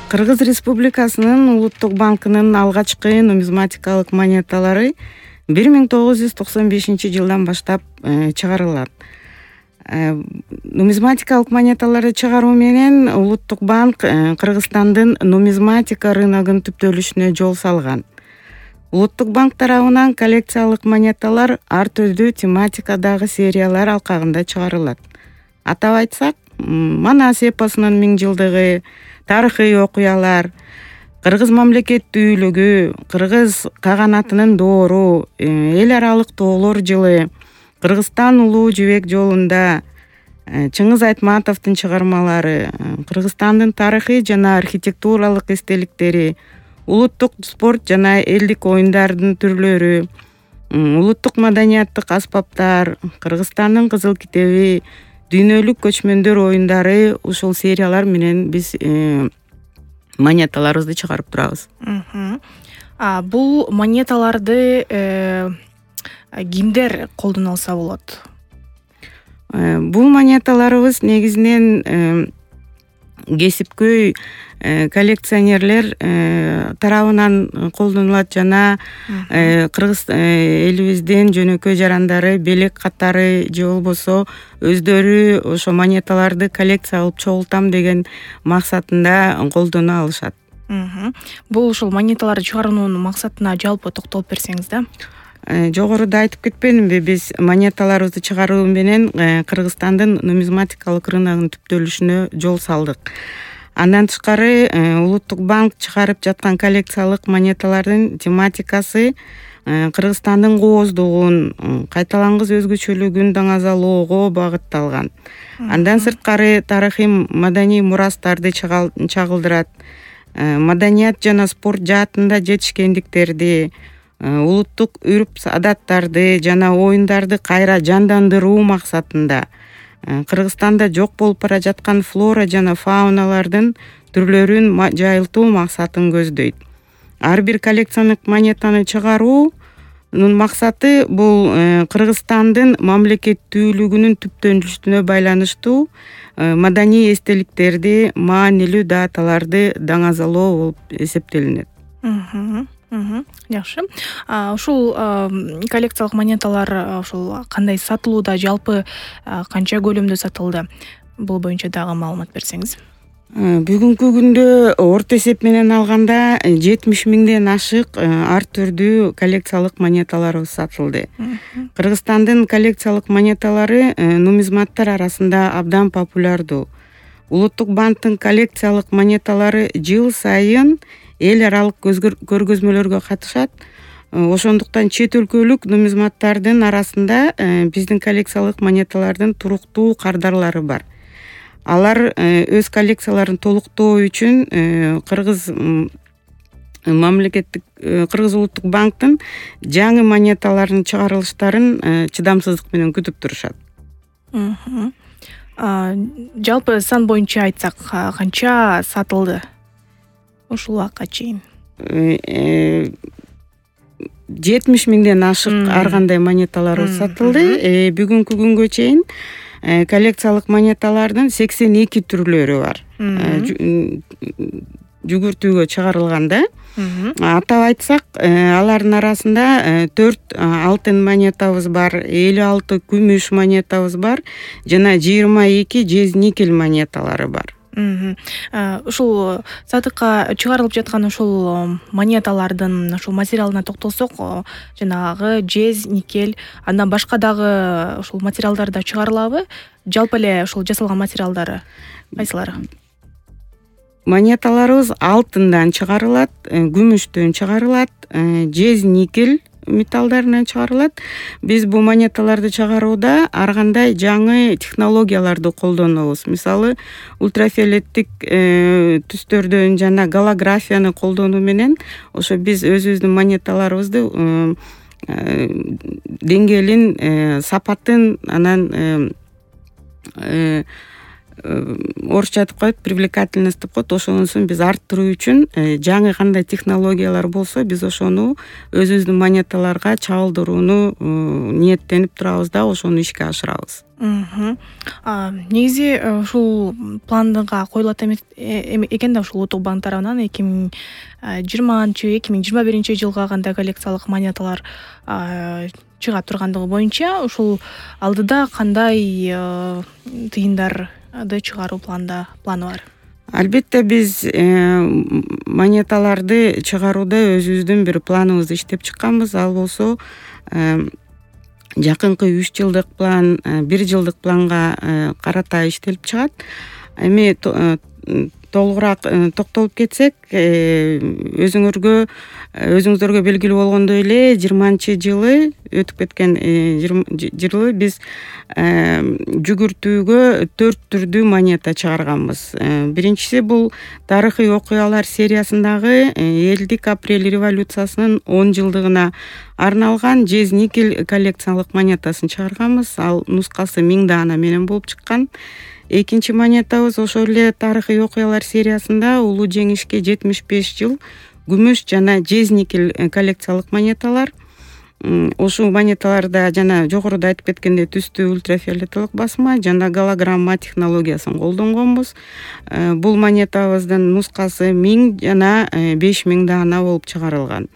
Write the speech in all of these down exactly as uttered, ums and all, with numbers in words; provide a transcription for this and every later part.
Кыргыз Республикасынын Улуттук банкынын алгачкы нумизматикалык монеталары бир миң тогуз жүз токсон бешинчи жылдан баштап чыгарылат. Нумизматикалык монеталарды чыгаруу менен Улуттук банк Кыргызстандын нумизматика рыногун түптөлүшүнө жол салган. Улуттук банк тарабынан коллекциялык монеталар ар түрдүү тематикадагы сериялар алкагында чыгарылат. Атап айтсак, Манас эпосунун миң жылдыгы, тарыхый окуялар, Кыргыз мамлекеттүүлүгү, Кыргыз каганатынын доору, эл аралык тоолор жылы, Кыргызстан улуу жибек жолунда, Чыңгыз Айтматовдун чыгармалары, Кыргызстандын тарыхый жана архитектуралык эстеликтери, улуттук спорт жана элдик оюндардын түрлөрү, улуттук маданияттык аспаптар, Кыргызстандын кызыл китеби, дүйнөлүк көчмөндөр оюндары, ушул сериялар менен биз монеталарыбызды чыгарып турабыз. Бул монеталарды кимдер колдоно алса болот? Бул монеталарыбыз негизинен кесипкөй коллекционерлер тарабынан колдонулат жана Кыргыз элибиздин жөнөкөй жарандары, белек катары же болбосо өздөрү ошо монеталарды коллекция кылып чогултам деген максатында колдоно алышат. Бул ушул монеталарды чыгаруунун максатына жалпы токтолуп берсеңиз да? Жогоруда айтып кетпедимби, биз монеталарыбызды чыгаруу менен Кыргызстандын нумизматикалык рыногунун түптөлүшүнө жол салдык. Андан тышкары Улуттук банк чыгарып жаткан коллекциялык монеталардын тематикасы Кыргызстандын кооздугун, кайталангыс өзгөчөлүгүн даңазалоого багытталган. Андан сырткары тарыхый маданий мурастарды чагылдырат, маданият жана спорт жаатында жетишкендиктерди, улуттук үрп адаттарды жана оюндарды кайра жандандыруу максатында Кыргызстанда жок болуп бара жаткан флора жана фауналардын түрлөрүн жайылтуу максатын көздөйт. Ар бир коллекциялык монетаны чыгаруунун максаты бул Кыргызстандын мамлекеттүүлүгүнүн түптөлүшүнө байланыштуу маданий эстеликтерди, маанилүү даталарды даңазалоо болуп эсептелинет. Жакшы. Ушул коллекциялык монеталар ушул кандай сатылууда, жалпы канча көлөмдө сатылды? Бул боюнча дагы маалымат берсеңиз. Бүгүнкү күндө орто эсеп менен алганда жетимиш миңден ашык ар түрдүү коллекциялык монеталарыбыз сатылды. Кыргызстандын коллекциялык монеталары нумизматтар арасында абдан популярдуу. Улуттук банктын коллекциялык монеталары жыл сайын эл аралык көргөзмөлөргө катышат. Ошондуктан чет өлкөлүк нумизматтардын арасында биздин коллекциялык монеталардын туруктуу кардарлары бар. Алар өз коллекцияларын толуктоо үчүн Кыргыз мамлекеттик Кыргыз улуттук банктын жаңы монеталарынын чыгарылыштарын чыдамсыздык менен күтүп турушат. Жалпы сан боюнча айтсак, канча сатылды ушул убакка чейин? жетимиш миңден ашык ар кандай монеталар сатылды. Бүгүнкү күнгө чейин коллекциялык монеталардын сексен эки түрлөрү бар. Жүгүртүүгө чыгарылганда. Атап айтсак, алардын арасында төрт алтын монетабыз бар, элүү алты күмүш монетабыз бар жана жыйырма эки жез никель монеталары бар. Ушул сатыкка чыгарылып жаткан ушул монеталардын ушул материалына токтолсок, жанагы жез, никель, андан башка дагы ушул материалдар да чыгарылабы? Жалпы эле ушул жасалган материалдары кайсылары? Монеталарыбыз алтындан чыгарылат, күмүштөн чыгарылат, жез, никель металлдарынан чыгарылат. Биз бул монеталарды чыгарууда ар кандай жаңы технологияларды колдонобуз. Мисалы, ультрафиолеттик түстөрдөн жана голографияны колдонуу менен ошо биз өзүбүздүн монеталарыбызды деңгээлин, сапатын, анан орусча айтып коет, привлекательность деп коет. Ошонусун биз арттыруу үчүн жаңы кандай технологиялар болсо биз ошону өзүбүздүн монеталарга чагылдырууну ниеттенип турабыз да, ошону ишке ашырабыз. Негизи ушул планга коюлат экен да, ушул Улуттук банк тарабынан эки миң жыйырманчы эки миң жыйырма биринчи жылга кандай коллекциялык монеталар чыга тургандыгы боюнча ушул алдыда кандай тыйындарды чыгаруу планда планы бар? Албетте биз монеталарды чыгарууда өзүбүздүн бир планыбызды иштеп чыкканбыз. Ал болсо жакынкы үч жылдык план, бир жылдык планга карата иштелип чыгат. Эми толугураак токтолуп кетсек, өзүңөргө өзүңүздөргө белгилүү болгондой эле жыйырманчы жылы өтүп кеткен жылы биз жүгүртүүгө төрт түрдүү монета чыгарганбыз. Биринчиси бул тарыхый окуялар сериясындагы элдик апрель революциясынын он жылдыгына арналган жез никель коллекциялык монетасын чыгарганбыз. Ал нускасы миң даана менен болуп чыккан. Экинчи монетабыз ошол эле тарыхый окуялар сериясында улуу жеңишке жетимиш беш жыл күмүш жана жез никель коллекциялык монеталар. Ушул монеталарда жана жогоруда айтып кеткендей түстүү ультрафиолеталык басма жана голограмма технологиясын колдонгонбуз. Бул монетабыздын нускасы миң жана беш миң даана болуп чыгарылган.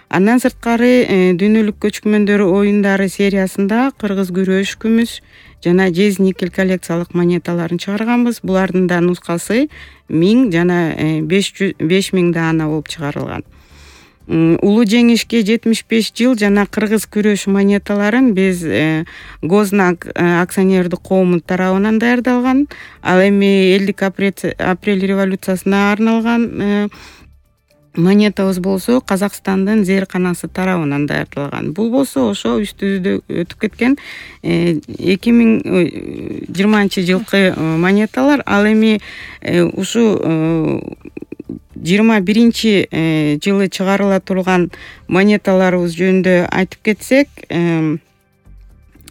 Андан сырткары дүйнөлүк көчкүмөндөр оюндары сериясында кыргыз күрөш күмүш жана жез никель коллекциялык монеталарын чыгарганбыз. Булардын да нускасы миң жана беш миң даана болуп чыгарылган. Улуу жеңишке жетимиш беш жыл жана кыргыз күрөш монеталарын биз Гознак акционердик коому тарабынан даярдалган. Ал эми элдик апрель революциясына арналган монетабыз болсо Казакстандын зээрканасы тарабынан даярдалган. Бул болсо ошо үстүбүздө өтүп кеткен эки миң жыйырманчы жылкы монеталар. Ал эми ушу жыйырма биринчи жылы чыгарыла турган монеталарыбыз жөнүндө айтып кетсек,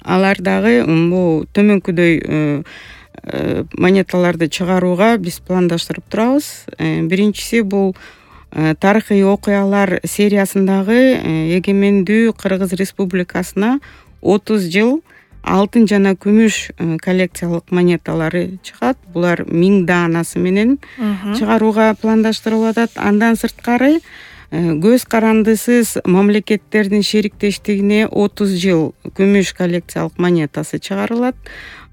алар дагы бул төмөнкүдөй монеталарды чыгарууга биз пландаштырып турабыз. Биринчиси бул тарыхый окуялар сериясындагы эгемендүү Кыргыз Республикасына отуз жыл алтын жана күмүш коллекциялык монеталары чыгат. Булар миң даанасы менен чыгарууга пландаштырылып атат. Андан сырткары көз карандысыз мамлекеттердин шериктештигине отуз жыл күмүш коллекциялык монетасы чыгарылат.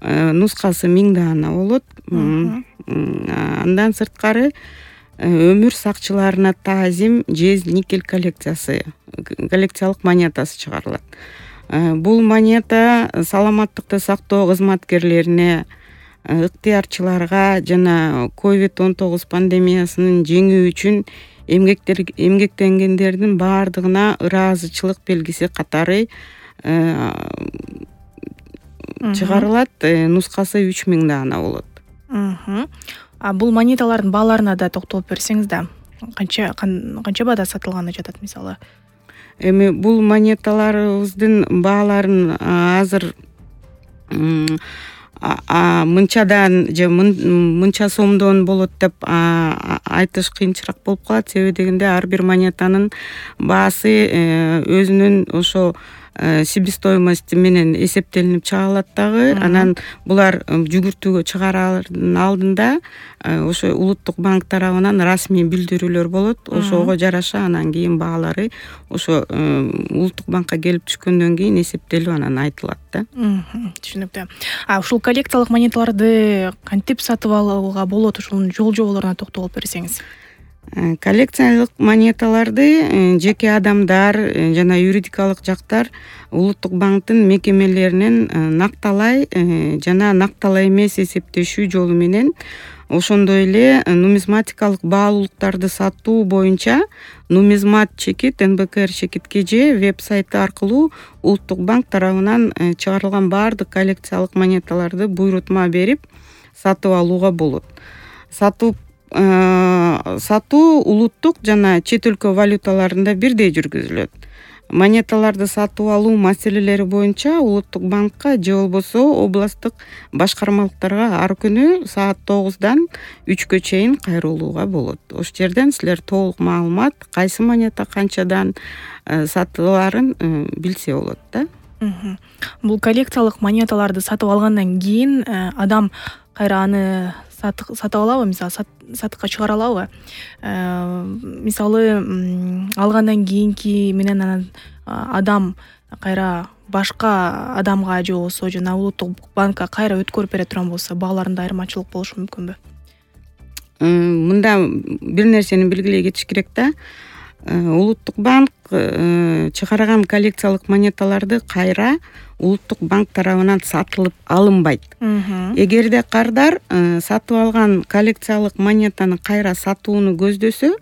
Нускасы миң даана болот. Андан сырткары өмүр сакчыларына таазим жез никель коллекциясы коллекциялык монетасы чыгарылат. Бул монета саламаттыкты сактоо кызматкерлерине, ыктыярчыларга жана ковид он тогуз пандемиясынын жеңүү үчүн эмгектенгендердин баардыгына ыраазычылык белгиси катары чыгарылат. Нускасы үч миң даана болот. Бул монеталардын бааларына да токтолуп берсеңиз да, канча канча баада сатылганы жатат мисалы? Эми бул монеталарыбыздын бааларын азыр мынчадан же мынча сомдон болот деп айтыш кыйынчыраак болуп калат. Себеби дегенде ар бир монетанын баасы өзүнүн ошо себестоимости менен эсептелинип чыгарылат дагы. Анан булар жүгүртүүгө чыгараардын алдында ошо Улуттук банк тарабынан расмий билдирүүлөр болот. Ошого жараша анан кийин баалары ошо Улуттук банкка келип түшкөндөн кийин эсептелип анан айтылат да. Түшүнүктүү. А ушул коллекциялык монеталарды кантип сатып алууга болот? Ушунун жол жоболоруна токтолуп берсеңиз. Коллекциялык монеталарды жеке адамдар жана юридикалык жактар Улуттук банктын мекемелеринен накталай жана накталай эмес эсептешүү жолу менен, ошондой эле нумизматикалык баалуулуктарды сатуу боюнча нумизмат чекит эн бэ ка эр чекит ка жэ веб-сайты аркылуу Улуттук банк тарабынан чыгарылган баардык коллекциялык монеталарды буйрутма берип сатып алууга болот. Сатуу сатуу улуттук жана чет өлкө валюталарында бирдей жүргүзүлөт. монеталарды сатып алуу маселелери боюнча улуттук банкка же болбосо областтык башкармалыктарга ар күнү саат тогуздан үчкө чейин кайрылууга болот. Ошол жерден силер толук маалымат, кайсы монета канчадан сатылаарын билсе болот да. Бул коллекциялык монеталарды сатып алгандан кийин адам кайра аны сатып алабы, мисалы сатыкка чыгара алабы? Мисалы алгандан кийинки менен анан адам кайра башка адамга же болбосо жана улуттук банкка кайра өткөрүп бере турган болсо, бааларында айырмачылык болушу мүмкүнбү? Мында бир нерсени белгилей кетиш керек да. Улуттук банк чыгарган коллекциялык монеталарды кайра улуттук банк тарабынан сатылып алынбайт. Эгерде кардар сатып алган коллекциялык монетаны кайра сатууну көздөсө,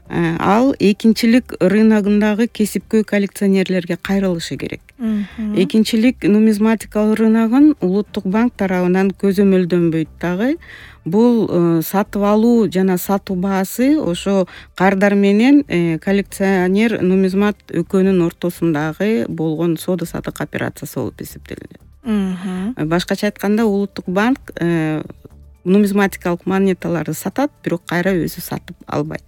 ал экинчилик рыногундагы кесипкөй коллекционерлерге кайрылышы керек. Экинчилик нумизматикалык рыногун улуттук банк тарабынан көзөмөлдөнбөйт дагы. Бул сатып алуу жана сатуу баасы ошо кардар менен коллекционер нумизмат экөөнүн ортосундагы болгон соода саттык операциясы болуп эсептелинет. Башкача айтканда, улуттук банк нумизматикалык монеталарды сатат, бирок кайра өзү сатып албайт.